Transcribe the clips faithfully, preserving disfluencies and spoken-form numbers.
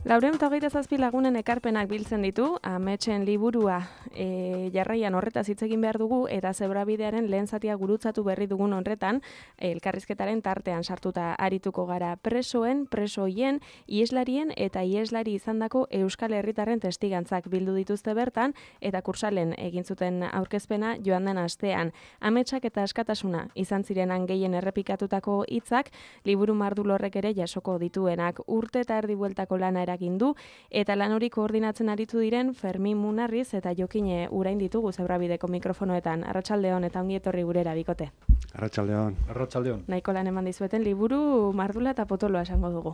Laurehun eta hogeita zazpi lagunen ekarpenak biltzen ditu, ametsen liburua e, jarraian horretaz hitz egin behar dugu, eta zebrabidearen lehen zatia gurutzatu berri dugun horretan, elkarrizketaren tartean sartuta arituko gara presoen, presoien, ieslarien eta ieslari izandako Euskal Herritarren testigantzak bildu dituzte bertan, eta kursalen egin zuten aurkezpena joan den astean. Ametsak eta askatasuna izan zirenan gehien errepikatutako hitzak, liburu mardulorrek ere jasoko dituenak, urte eta erdi bueltako lana eragin du, eta lan hori koordinatzen aritu diren Fermin Munarriz eta Jokine Urain ditugu Zebrabideko mikrofonoetan. Arratsaldeon eta ongi etorri gurera bikote. Arratsaldeon. Arratsaldeon. Nahiko lan eman dizueten liburu mardula eta potoloa esango dugu.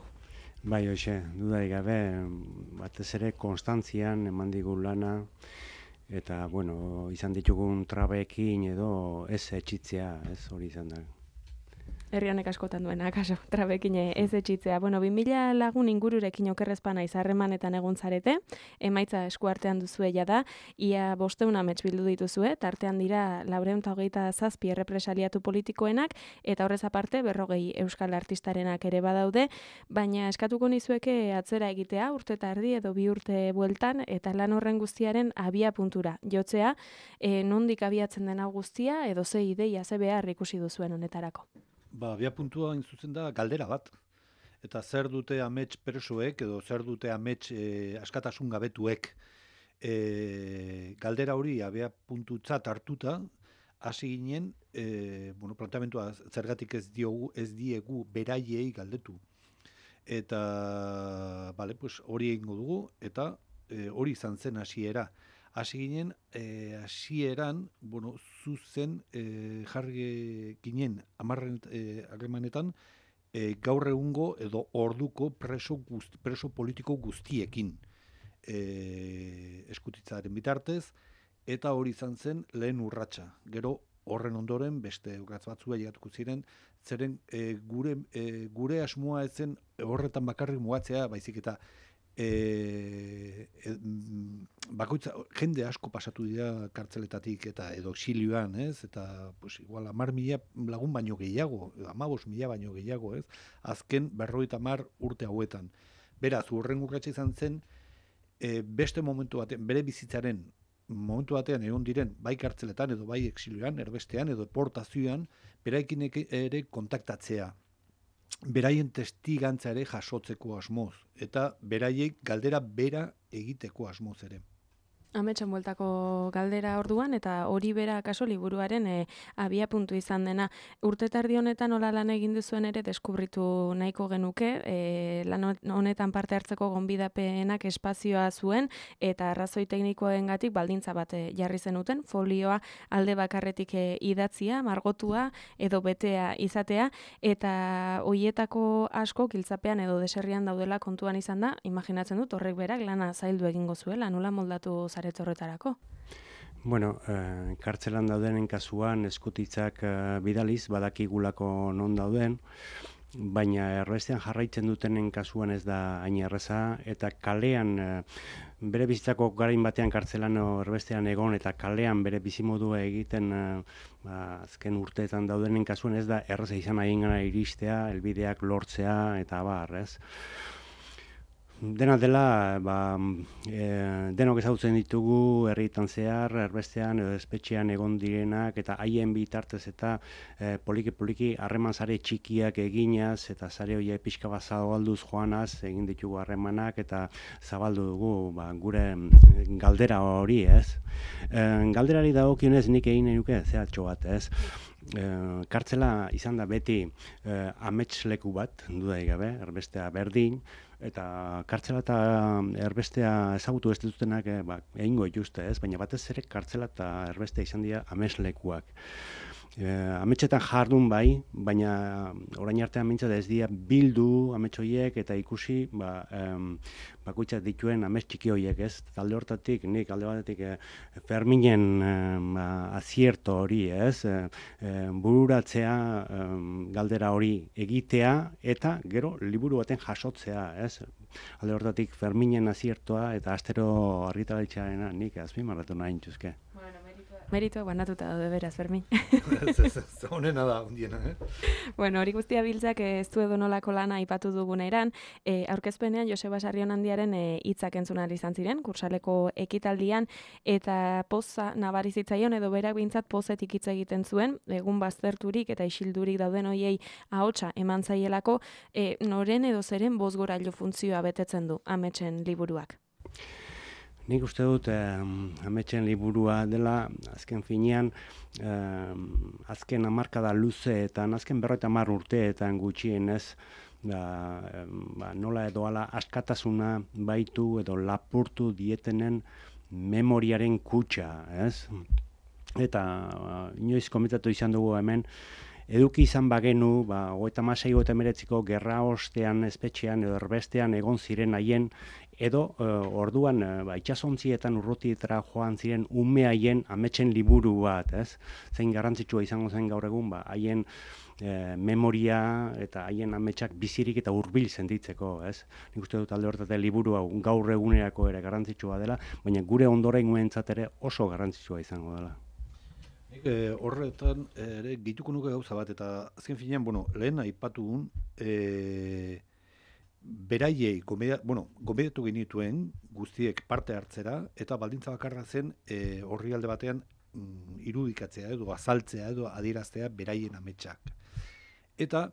Bai, hoxe, dudarik gabe, batez ere konstantzian eman digu lana, eta, bueno, izan ditugun trabekin edo ez etxitzea, ez hori izan da. Herri honek askotan duena, kaso, trabekin ez etxitzea. Bueno, bi mila lagun ingururekin okerrezpana izarremanetan egon zarete, emaitza eskuartean duzue da, ia bosteun amets bildu dituzue, tartean dira laurehun eta hogeita zazpi errepresaliatu politikoenak, eta horrez aparte berrogei euskal artistarenak ere badaude, baina eskatuko nizueke atzera egitea, urte eta erdi edo bi urte bueltan, eta lan horren guztiaren abia puntura. Jotzea, e, nondik abiatzen den hau guztia, edo ze ideia, ze behar ikusi duzuen honetarako. Ba, abia puntua hain zuzen da galdera bat. Eta zer dute amets presoek edo zer dute amets e, askatasun gabetuek. E, galdera hori abia puntutzat hartuta, hasi ginen, e, bueno, planteamentua zergatik ez diogu, ez diegu beraiei galdetu. Eta, bale, pues hori egingo dugu, eta e, hori izan zen hasiera. Hasi ginen, e, hasieran, bueno, zuzen e, jarri ginen amarren e, harremanetan e, gaur egungo edo orduko preso, guzti, preso politiko guztiekin e, eskutitzaren bitartez, eta hori izan zen lehen urratsa. Gero horren ondoren beste urratz batzua llegatuko ziren, zeren e, gure, e, gure asmoa ezen horretan bakarrik mugatzea, baizik eta E, e, bakoitza, jende asko pasatu dira kartzeletatik eta edo exilioan, ez? Eta pues, igual hamar mila lagun baino gehiago, hamabost mila baino gehiago, ez? Azken berrogeita hamar urte hauetan. Beraz, urren urratsa izan zen, e, beste momentu batean, bere bizitzaren momentu batean egon diren, bai kartzeletan edo bai exilioan, erbestean edo deportazioan, beraikin ere kontaktatzea. Beraien testigantza ere jasotzeko asmoz, eta beraiek galdera bera egiteko asmoz ere. Ametsen bueltako galdera orduan, eta hori bera kaso liburuaren e, abia puntu izan dena. Urte tardi honetan nola lan egin duzuen ere deskubritu nahiko genuke, e, lan honetan parte hartzeko gonbidapenak espazioa zuen, eta arrazoi teknikoengatik baldintza bat jarri zenuten, folioa alde bakarretik e, idatzia, margotua edo betea izatea, eta hoietako asko giltzapean edo deserrian daudela kontuan izan da, imaginatzen dut horrek berak lana zaildu egingo zuela, nola moldatu horretarako? Bueno, eh, kartzelan daudenen kasuan eskutitzak eh, bidaliz badakigulako non dauden, baina erbestean jarraitzen dutenen kasuan ez da hain erreza, eta kalean eh, bere bizitzako garain batean kartzelan erbestean egon eta kalean bere bizimodua egiten eh, ba, azken urteetan daudenen kasuan ez da erreza izan haiengana iristea, helbideak lortzea eta bar, ez? Dena dela, ba, e, denok ezagutzen ditugu herritan zehar, erbestean edo espetxean egon direnak, eta haien bitartez eta e, poliki-poliki harreman sare txikiak eginaz, eta sare horiek pixka bat zabalduz joanaz, egin ditugu harremanak, eta zabaldu dugu ba, gure galdera hori, ez? E, galderari dagokionez nik egin nahi nuke zehatxo bat, ez? E, kartzela izan da beti e, ametsleku bat, dudarik gabe, erbestea berdin, eta kartzela eta erbestea ezagutu ez ditutenak eh, ba, egingo dituzte, ez? Baina batez ere kartzela eta erbestea izan dira ameslekuak. E, ametsetan jardun bai, baina orain artean mintzat ez dira bildu amets horiek eta ikusi ba, em, bakoitzak dituen amets txiki horiek, ez? Talde hortatik, nik alde batetik e, Ferminen em, azierto hori, ez? E, e, bururatzea em, galdera hori egitea eta gero liburu baten jasotzea, ez? Alde hortatik Ferminen aziertoa eta astero argitaratzarena nik azpimarratu nahi nituzke. Bueno, Meritoa banatuta daude beraz, Fermin. Ez, ez, ez, honena da, ondiena, eh? Bueno, hori guztia biltzak ez du edonolako lana aipatu duguneran, e, aurkezpenean Joseba Sarrionandiaren hitzak e, entzun ahal izan ziren, kursaleko ekitaldian, eta poza nabari zitzaion edo berak behintzat pozetik hitz egiten zuen, egun bazterturik eta isildurik dauden hoiei ahotsa eman zaielako, e, noren edo zeren bozgorailu funtzioa betetzen du ametsen liburuak. Nik uste dut eh, ametsen liburua dela, azken finean, eh, azken hamarkada luzeetan, azken berrogeita hamar urteetan gutxienez, da, eh, ba, nola edo ala askatasuna baitu edo lapurtu dietenen memoriaren kutxa, ez? Eta uh, inoiz komentatu izan dugu hemen, eduki izan bagenu, ba, hogeita hamasei hogeita hemeretziko gerra ostean, espetxean edo erbestean egon ziren haien, edo uh, orduan uh, ba, itxasontzietan urrutietara joan ziren ume haien ametsen liburu bat, ez? Zein garrantzitsua izango zen gaur egun, ba, haien eh, memoria eta haien ametsak bizirik eta hurbil sentitzeko, ez? Nik uste dut alde horretatik liburu hau gaur egunerako ere garrantzitsua dela, baina gure ondorengoentzat ere oso garrantzitsua izango dela. E, horretan ere gehituko nuke gauza bat, eta azken finean, bueno, lehen aipatu un, e, beraiei, gomedia, bueno, gomediatu genituen guztiek parte hartzera, eta baldintza bakarra zen e, horri alde batean mm, irudikatzea edo azaltzea edo adieraztea beraien ametsak. Eta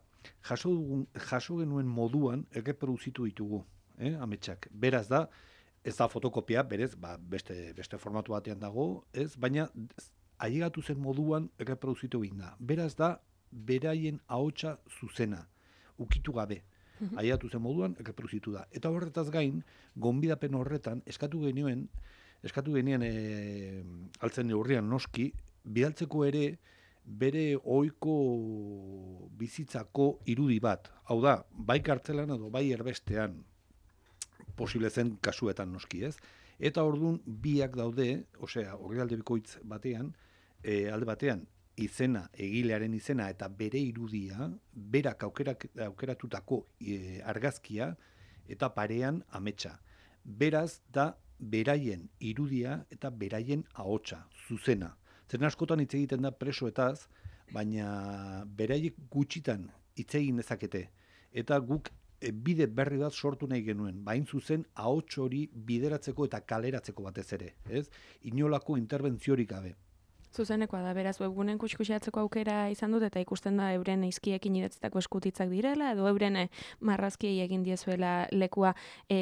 jaso, dugun, jaso genuen moduan erreproduzitu ditugu eh, ametsak. Beraz da, ez da fotokopia, berez, ba, beste, beste formatu batean dago, ez, baina ailegatu zen moduan erreproduzitu egin da. Beraz da, beraien ahotsa zuzena, ukitu gabe. Ailegatu zen moduan erreproduzitu da. Eta horretaz gain, gonbidapen horretan, eskatu genuen, eskatu genien e, altzen neurrian noski, bidaltzeko ere bere ohiko bizitzako irudi bat. Hau da, bai kartzelan edo bai erbestean, posible zen kasuetan noski, ez? Eta orduan biak daude, osea, orrialde bikoitz batean, e, alde batean, izena, egilearen izena eta bere irudia, berak aukerak, aukeratutako e, argazkia eta parean ametsa. Beraz da beraien irudia eta beraien ahotsa, zuzena. Zer askotan hitz egiten da presoetaz, baina beraiek gutxitan hitz egin dezakete. Eta guk e, bide berri bat sortu nahi genuen, bain zuzen ahots hori bideratzeko eta kaleratzeko batez ere, ez? Inolako interbentziorik gabe. Zuzenekoa da, beraz, webgunen kuskusiatzeko aukera izan dut, eta ikusten da euren izkiekin idatzitako eskutitzak direla, edo euren marrazkiei egin diezuela lekua. E,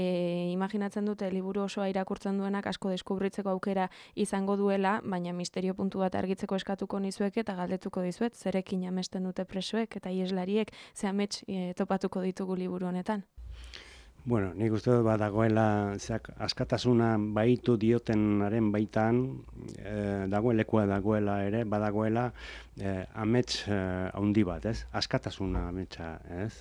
imaginatzen dute, liburu osoa irakurtzen duenak asko deskubritzeko aukera izango duela, baina misterio puntu bat argitzeko eskatuko nizuek eta galdetuko dizuet, zerekin amesten dute presoek eta ieslariek, ze amets e, topatuko ditugu liburu honetan. Bueno, nik uste dut badagoela zeak, askatasuna baitu diotenaren baitan, e, dagoelekua dagoela ere, badagoela e, amets e, handi bat, ez? Askatasuna ametsa, ez?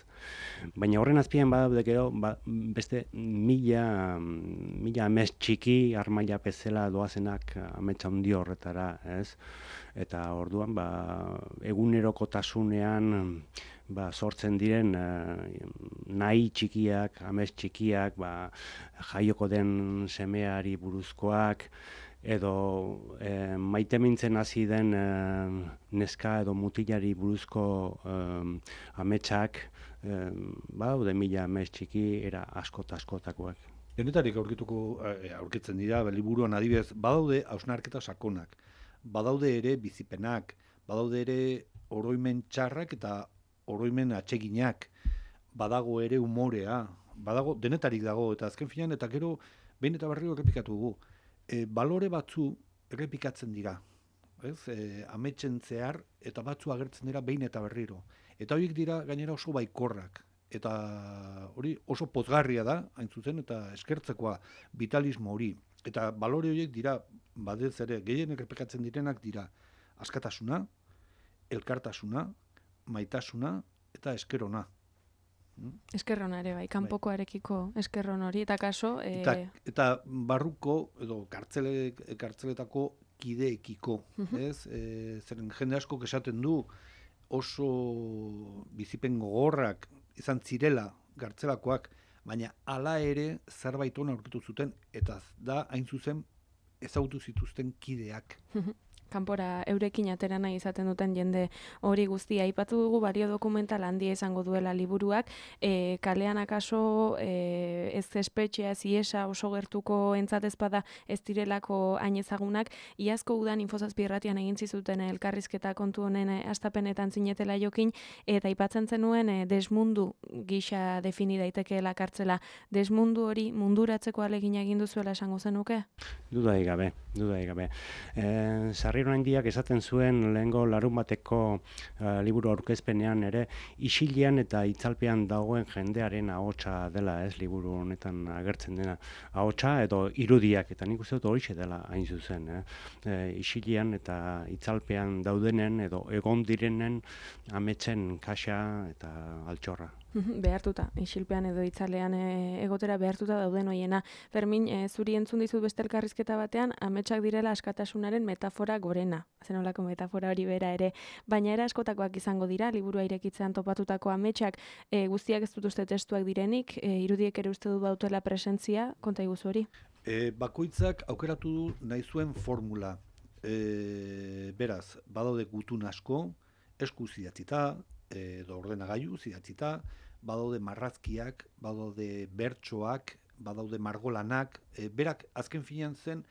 Baina horren azpian badaude gero, ba, beste mila, mila amets txiki, armaila bezala doazenak ametsa handi horretara, ez? Eta orduan, ba, egunerokotasunean ba, sortzen diren eh, nahi txikiak, amets txikiak, ba, jaioko den semeari buruzkoak, edo eh, maitemintzen hasi den eh, neska edo mutilari buruzko eh, ametsak, eh, badaude mila amets txiki, era askota askotakoak. Denetarik aurkituko aurkitzen dira, liburuan adibidez, badaude hausnarketa sakonak, badaude ere bizipenak, badaude ere oroimen txarrak eta oroimen atseginak, badago ere umorea, badago, denetarik dago, eta azken finean, eta gero, behin eta berriro errepikatu dugu, e, balore batzu errepikatzen dira, ez? E, ametsen zehar, eta batzu agertzen dira behin eta berriro. Eta horiek dira gainera oso baikorrak, eta hori oso pozgarria da, hain zuzen, eta eskertzekoa vitalismo hori. Eta balore horiek dira, badez ere, gehien errepikatzen direnak dira, askatasuna, elkartasuna, maitasuna eta eskerona. Eskerrona ere bai, kanpokoarekiko eskerron hori, eta kaso... E... Eta, eta barruko, edo kartzele, kartzeletako kideekiko, uh-huh. ez? E, zeren jende asko esaten du oso bizipen gogorrak izan zirela kartzelakoak, baina hala ere zerbait ona aurkitu zuten, eta da hain zuzen ezagutu zituzten kideak. Uh-huh. kanpora eurekin atera nahi izaten duten jende hori guztia. Aipatu dugu balio dokumental handia izango duela liburuak, e, kalean akaso e, ez espetxea, ez iesa oso gertuko entzatez bada ez direlako hain ezagunak. Iazko udan Infozazpi irratian egin zizuten elkarrizketa kontu honen hastapenetan zinetela jokin, eta aipatzen zenuen e, desmundu gisa defini daitekeela kartzela. Desmundu hori munduratzeko ahalegina egin duzuela esango zenuke? Dudai gabe, dudai gabe. E, Sarriro handiak esaten zuen lehengo larun bateko uh, liburu aurkezpenean ere, isilean eta itzalpean dagoen jendearen ahotsa dela, ez, liburu honetan agertzen dena. Ahotsa edo irudiak, eta nik uste dut horixe dela hain zuzen. Eh? E, isilean eta itzalpean daudenen edo egon direnen ametsen kaxa eta altxorra. Behartuta, isilpean edo itzalean e, egotera behartuta dauden hoiena. Fermin, e, zuri entzun dizut beste elkarrizketa batean, ametsak direla askatasunaren metafora gorena. Zenolako metafora hori bera ere. Baina era askotakoak izango dira, liburua irekitzean topatutako ametsak, e, guztiak ez dut uste testuak direnik, e, irudiek ere uste du bautela presentzia, konta iguzu hori? E, bakoitzak aukeratu du nahi zuen formula. E, beraz, badaude gutun asko, eskuz idatzita, edo ordenagailu idatzita, badaude marrazkiak, badaude bertsoak, badaude margolanak, e, berak azken finean zen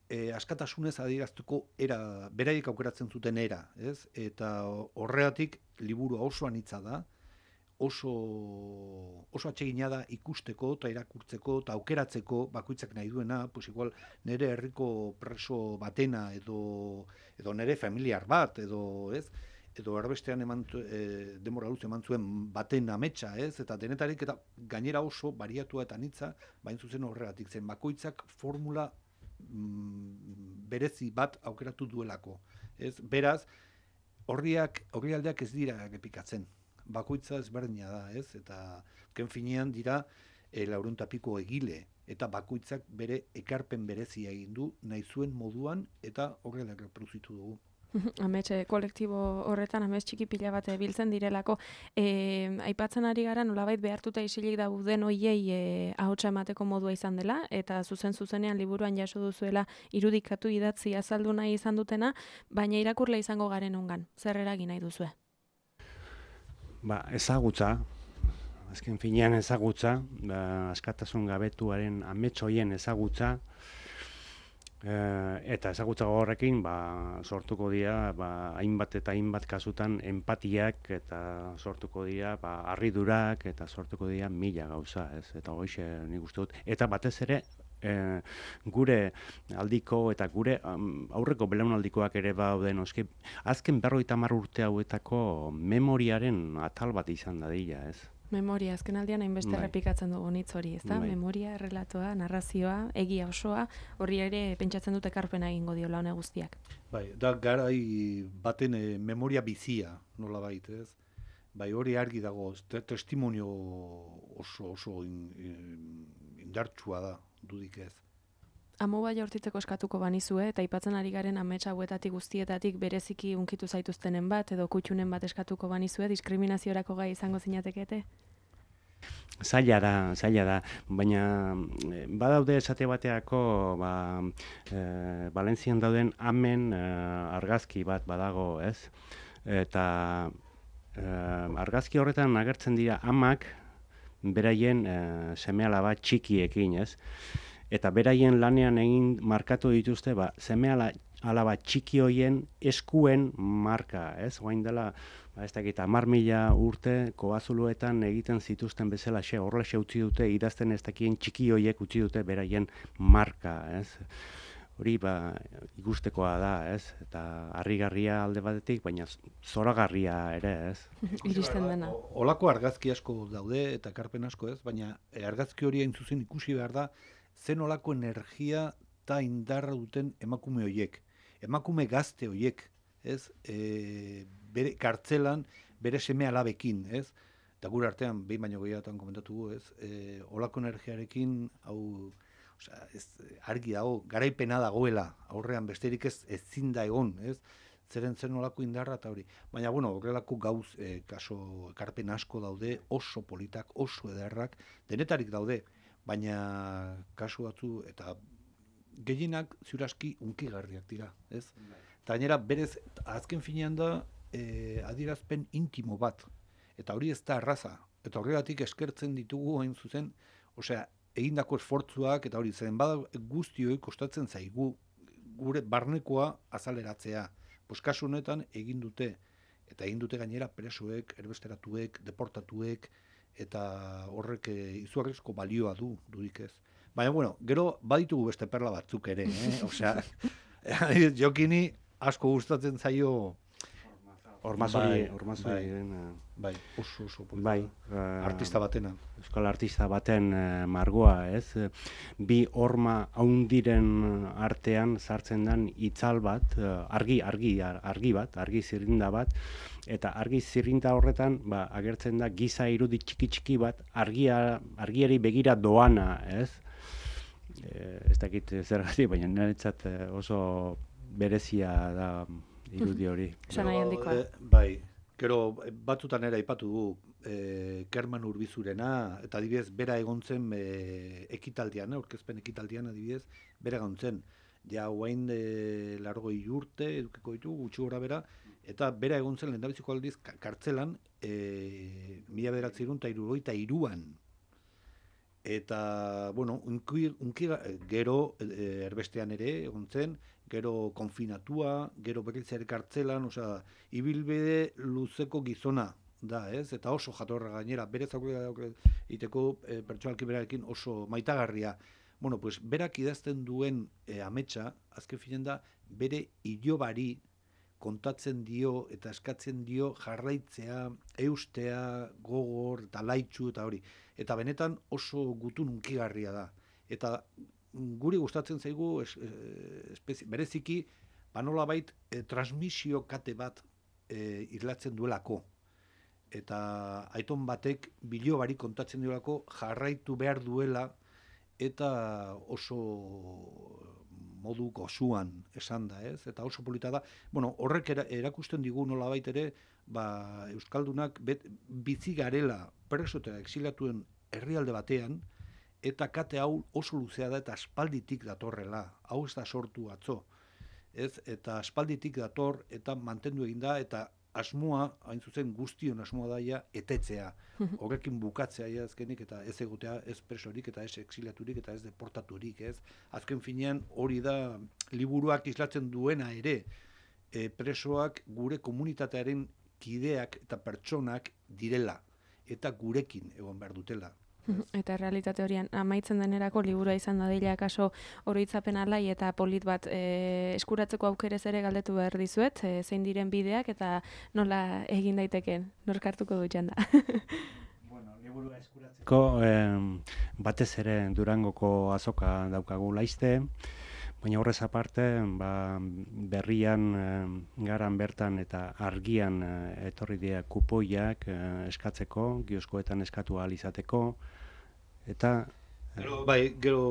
e, askatasunez adieraztuko era, beraiek aukeratzen zuten era, ez? Eta horregatik liburu oso anitza da, oso, oso atsegina da ikusteko eta irakurtzeko eta aukeratzeko bakoitzak nahi duena, pues igual nire herriko preso batena edo, edo nire familiar bat, edo ez? Edo erbestean eman, e, denbora luz eman zuen baten ametsa, ez? Eta denetarik eta gainera oso bariatua eta anitza, bain zuzen horregatik zen bakoitzak formula mm, berezi bat aukeratu duelako, ez? Beraz, horriak, horrialdeak ez dira errepikatzen. Bakoitza ezberdina da, ez? Eta ken finean dira e, laurehun eta piko egile, eta bakoitzak bere ekarpen berezia egin du nahi zuen moduan eta horrelak reproduzitu dugu. Amets kolektibo horretan amets txiki pila bat biltzen direlako. E, aipatzen ari gara nolabait behartuta isilik dauden hoiei e, ahotsa emateko modua izan dela, eta zuzen zuzenean liburuan jaso duzuela irudikatu idatzi azaldu nahi izan dutena, baina irakurle izango garen ongan. Zer eragin nahi duzue? Ba, ezagutza, azken finean ezagutza, ba, askatasun gabetuaren amets hoien ezagutza, Uh, eta ezagutza horrekin ba, sortuko dira ba, hainbat eta hainbat kasutan empatiak eta sortuko dira ba, harridurak eta sortuko dira mila gauza, ez? Eta hoxe nik uste dut. Eta batez ere eh, gure aldiko eta gure um, aurreko belaunaldikoak ere baude noski. Azken berrogeita hamar urte hauetako memoriaren atal bat izan dadila, ez? Memoria, azken aldian hainbeste Bai. errepikatzen dugu hitz hori, ezta? Bai. Memoria, relatoa, narrazioa, egia osoa, horri ere pentsatzen dute ekarpena egingo diola hone guztiak. Bai, da garai baten e, memoria bizia, nolabait, ez? Bai, hori argi dago, te testimonio oso oso in, in, indartsua da, dudik ez. Amoba jaurtitzeko eskatuko banizue, eta aipatzen ari garen amets hauetatik guztietatik bereziki unkitu zaituztenen bat, edo kutxunen bat eskatuko banizue, diskriminaziorako gai izango zinatekete? Zaila da, zaila da, baina eh, badaude esate bateako ba, eh, Valentzian dauden amen eh, argazki bat badago, ez? Eta eh, argazki horretan agertzen dira amak beraien eh, seme-alaba txikiekin, ez? Eta beraien lanean egin markatu dituzte ba, seme-alaba txiki hoien eskuen marka, ez? Oain dela, ba, ez dakit, hamar mila urte koazuluetan egiten zituzten bezala xe, horrela xe utzi dute, idazten ez dakien txiki hoiek utzi dute beraien marka, ez? Hori ba, ikustekoa da, ez? Eta harrigarria alde batetik, baina zoragarria ere, ez? Iristen dena. Olako argazki asko daude eta ekarpen asko, ez? Baina e, argazki hori hain zuzen ikusi behar da, zen olako energia eta indarra duten emakume hoiek. Emakume gazte hoiek, ez? E, bere kartzelan, bere seme alabekin, ez? Eta gure artean, behin baino gehiagotan komentatu gu, ez? E, olako energiarekin, hau, osea, ez, argi dago, garaipena dagoela, aurrean besterik ez ezin da egon, ez? Zeren zen olako indarra eta hori. Baina, bueno, horrelako gauz, e, kaso, ekarpen asko daude, oso politak, oso ederrak, denetarik daude, baina kasu batzu eta gehienak ziuraski unkigarriak dira, ez? Eta gainera, berez, azken finean da, e, adierazpen intimo bat. Eta hori ez da erraza. Eta horregatik eskertzen ditugu hain zuzen, osea, egindako esfortzuak, eta hori zen, bada guztioi kostatzen zaigu, gure barnekoa azaleratzea. Pues kasu honetan egin dute, eta egin dute gainera presoek, erbesteratuek, deportatuek, eta horrek izugarrizko balioa du, dudik ez. Baina, bueno, gero baditugu beste perla batzuk ere, eh? Osea, Jokini asko gustatzen zaio Ormazori, ormazori, bai, oso, oso, bai, artista batena. Euskal artista baten margoa, ez? Bi horma haundiren artean sartzen den itzal bat, argi, argi, argi bat, argi zirrinda bat, eta argi zirrinda horretan, ba, agertzen da giza irudi txiki-txiki bat, argia, argiari begira doana, ez? E, ez dakit zergatik, baina niretzat oso berezia da irudi hori. Sanai handikoa. E, bai, gero batzutan ere aipatu du e, Kerman Urbizurena, eta adibidez, bera egon zen e, ekitaldian, aurkezpen ekitaldian adibidez, bera egon zen. Ja, guain e, largoi urte, edukiko ditu, gutxi gora bera, eta bera egon zen lehendabiziko aldiz kartzelan e, mila bederatziehun eta hirurogeita hiruan. Eta, bueno, unki, unki, gero e, erbestean ere egon zen, gero konfinatua, gero berriz ere kartzelan, osea, ibilbide luzeko gizona da, ez? Eta oso jatorra gainera, berez aurrera egiteko e, pertsonalki berarekin oso maitagarria. Bueno, pues berak idazten duen e, ametsa, azken finean da, bere ilobari kontatzen dio eta eskatzen dio jarraitzea, eustea, gogor eta laitxu eta hori. Eta benetan oso gutun unkigarria da. Eta guri gustatzen zaigu es, espezi, bereziki panolabait e, transmisio kate bat e, irlatzen duelako. Eta aiton batek bilobari kontatzen duelako jarraitu behar duela eta oso modu gozuan esan da, ez? Eta oso polita da. Bueno, horrek era, erakusten digu nolabait ere, ba, Euskaldunak bet, bizi garela preso eta exiliatuen herrialde batean, eta kate hau oso luzea da eta aspalditik datorrela. Hau ez da sortu atzo. Ez? Eta aspalditik dator eta mantendu egin da, eta asmoa, hain zuzen guztion asmoa daia, etetzea. Horrekin bukatzea ja azkenik, eta ez egotea ez presorik, eta ez exiliaturik, eta ez deportaturik, ez? Azken finean hori da liburuak islatzen duena ere, e, presoak gure komunitatearen kideak eta pertsonak direla, eta gurekin egon behar dutela. Eta realitate horian amaitzen denerako liburua izan dadila kaso oroitzapen alai eta polit bat e, eskuratzeko aukerez ere galdetu behar dizuet, e, zein diren bideak eta nola egin daiteken, nork hartuko du txanda. Bueno, liburua eskuratzeko eh, batez ere Durangoko azoka daukagu laizte, baina horrez aparte ba, berrian eh, garan bertan eta argian eh, etorri dira kupoiak eh, eskatzeko, kioskoetan eskatu ahal izateko, eta Gero, bai, gero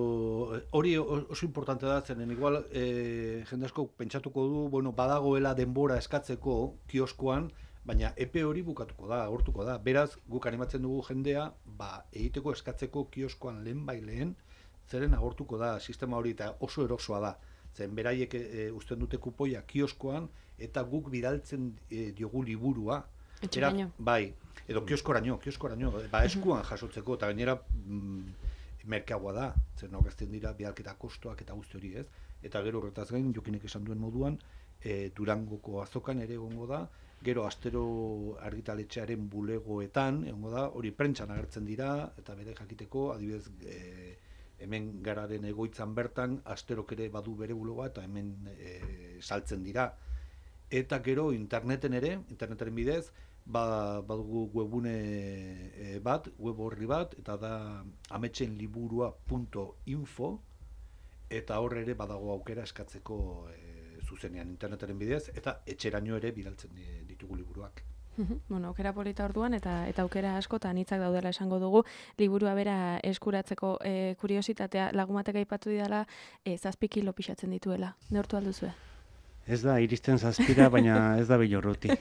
hori oso importante da, zenen igual e, jende asko pentsatuko du, bueno, badagoela denbora eskatzeko kioskoan, baina epe hori bukatuko da, agortuko da. Beraz, guk animatzen dugu jendea, ba, egiteko eskatzeko kioskoan lehen bai lehen, zeren agortuko da sistema hori eta oso erosoa da. Zen beraiek e, uzten dute kupoia kioskoan eta guk bidaltzen e, diogu liburua. Etxeraino. Bai, edo kioskoraino, kioskoraino, ba eskuan jasotzeko, eta gainera mm, merkeagoa da, zer aurkezten dira bidalketa kostoak eta guzti hori, ez? Eta gero horretaz gain, Jokinek esan duen moduan, e, Durangoko azokan ere egongo da, gero astero argitaletxearen bulegoetan egongo da, hori prentsan agertzen dira, eta bere jakiteko, adibidez, e, hemen gararen egoitzan bertan, asterok ere badu bere bulegoa, eta hemen e, saltzen dira. Eta gero interneten ere, internetaren bidez, ba, badugu webune e, bat, web horri bat, eta da ametsenliburua punto info, eta hor ere badago aukera eskatzeko e, zuzenean internetaren bidez, eta etxeraino ere bidaltzen ditugu liburuak. Bueno, aukera polita orduan eta eta aukera asko eta anitzak daudela esango dugu. Liburua bera eskuratzeko e, kuriositatea lagumatek aipatu didala e, zazpi kilo pixatzen dituela. Neurtu alduzue? Ez da, iristen zazpira, baina ez da bilorruti.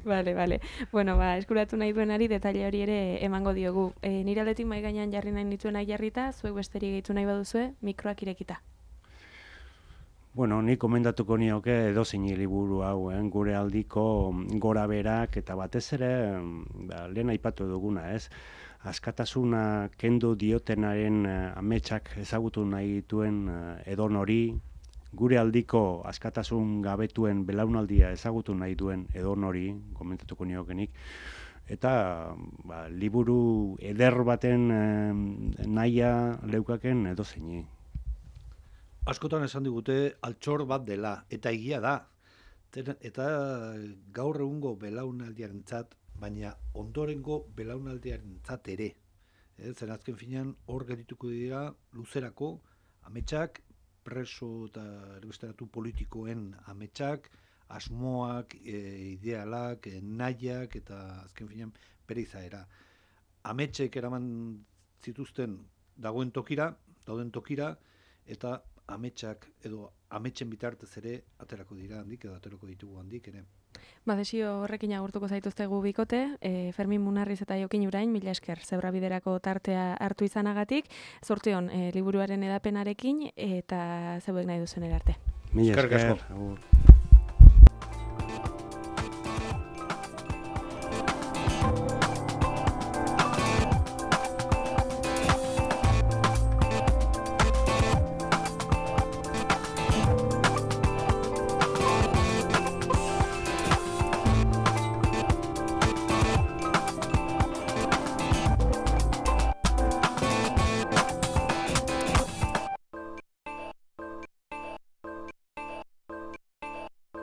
Bale, bale. Bueno, ba, eskuratu nahi duenari detaile hori ere emango diogu. E, nire aldetik mai gainean jarri nahi nituena jarrita, zuek besterik gehitu nahi baduzue, mikroak irekita. Bueno, ni komendatuko nioke edozein liburu hau, eh? Gure aldiko gora berak eta batez ere, ba, lehen aipatu duguna, ez? Askatasuna kendu diotenaren uh, ametsak ezagutu nahi dituen uh, edonori, gure aldiko askatasun gabetuen belaunaldia ezagutu nahi duen edonori, komentatuko niokenik, eta ba, liburu eder baten eh, nahia leukaken edozeini. Askotan esan digute altxor bat dela, eta egia da. Eta gaur egungo belaunaldiarentzat, baina ondorengo belaunaldiarentzat ere. E, zen azken finean hor gerituko dira luzerako ametsak, preso eta erbesteratu politikoen ametsak, asmoak, e, idealak, e, nahiak eta azken finean bere izaera. Ametsek eraman zituzten dagoen tokira, dauden tokira, eta ametsak edo ametsen bitartez ere aterako dira handik edo aterako ditugu handik ere. Ba, desio horrekin agurtuko zaituztegu bikote, e, Fermin Munarriz eta Jokin Urain, mila esker Zebrabiderako tartea hartu izanagatik, zorteon e, liburuaren edapenarekin eta zeuek nahi duzen erarte. Mila esker.